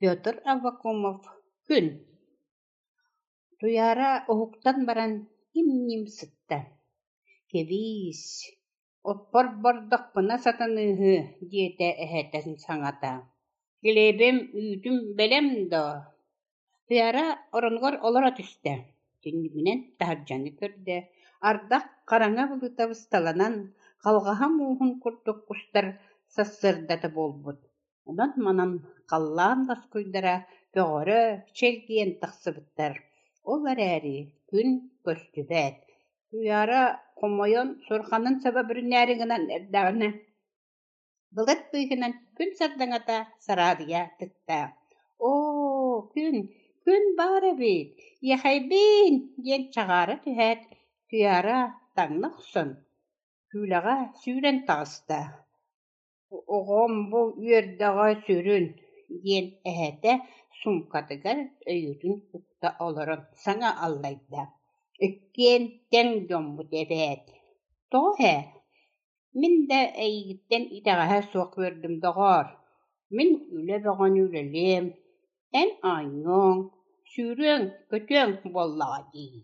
Петр Аввакумов «Күн» Туйаара уһуктан баран им-ньим сытта: «Кэбиис, оппор бардахпына сатаныыһы» диэтэ эһэтин саҥата, «Килиэбим, үүтүм бэлэм дуо?» Туйаара оронугар олоро түстэ, түннүгүнэн таһырдьаны көрдө, ардах хараҥа былыта бысталанан, халҕаһа мууһун курдук устар сарсыардата буолбут, онон-манан халлаан лоскуйдара көҕөрө чэлгийэн тахсыбыттар, ол эрээри күн көстүбэт. Туйаара хомойон суорҕанын саба бүрүнээри гынан эрдэҕинэ, былыт быыһынан күн сардаҥата сараадыйа тыкта. «Оо, күн, күн баар эбит, иэхэйбиин!» диэн чаҕаара түһээт, Туйаара таҥна охсон, күүлэҕэ сүүрэн таҕыста. «Оҕом бу үөрдэҕэ сүрүн» диэн эһэтэ суумкатыгар өйүөтүн укта олорон саҥа аллайда: «Иккиэн тэҥ дьоммут эбээт, тоҕо эһээ, мин да эйигиттэн итэҕэһэ суох үөрдүм доҕоор, мин үлэ бөҕөнү үлэлиэм, эн оонньуоҥ, сүүрүөҥ-көтүөҥ буоллаҕа дии»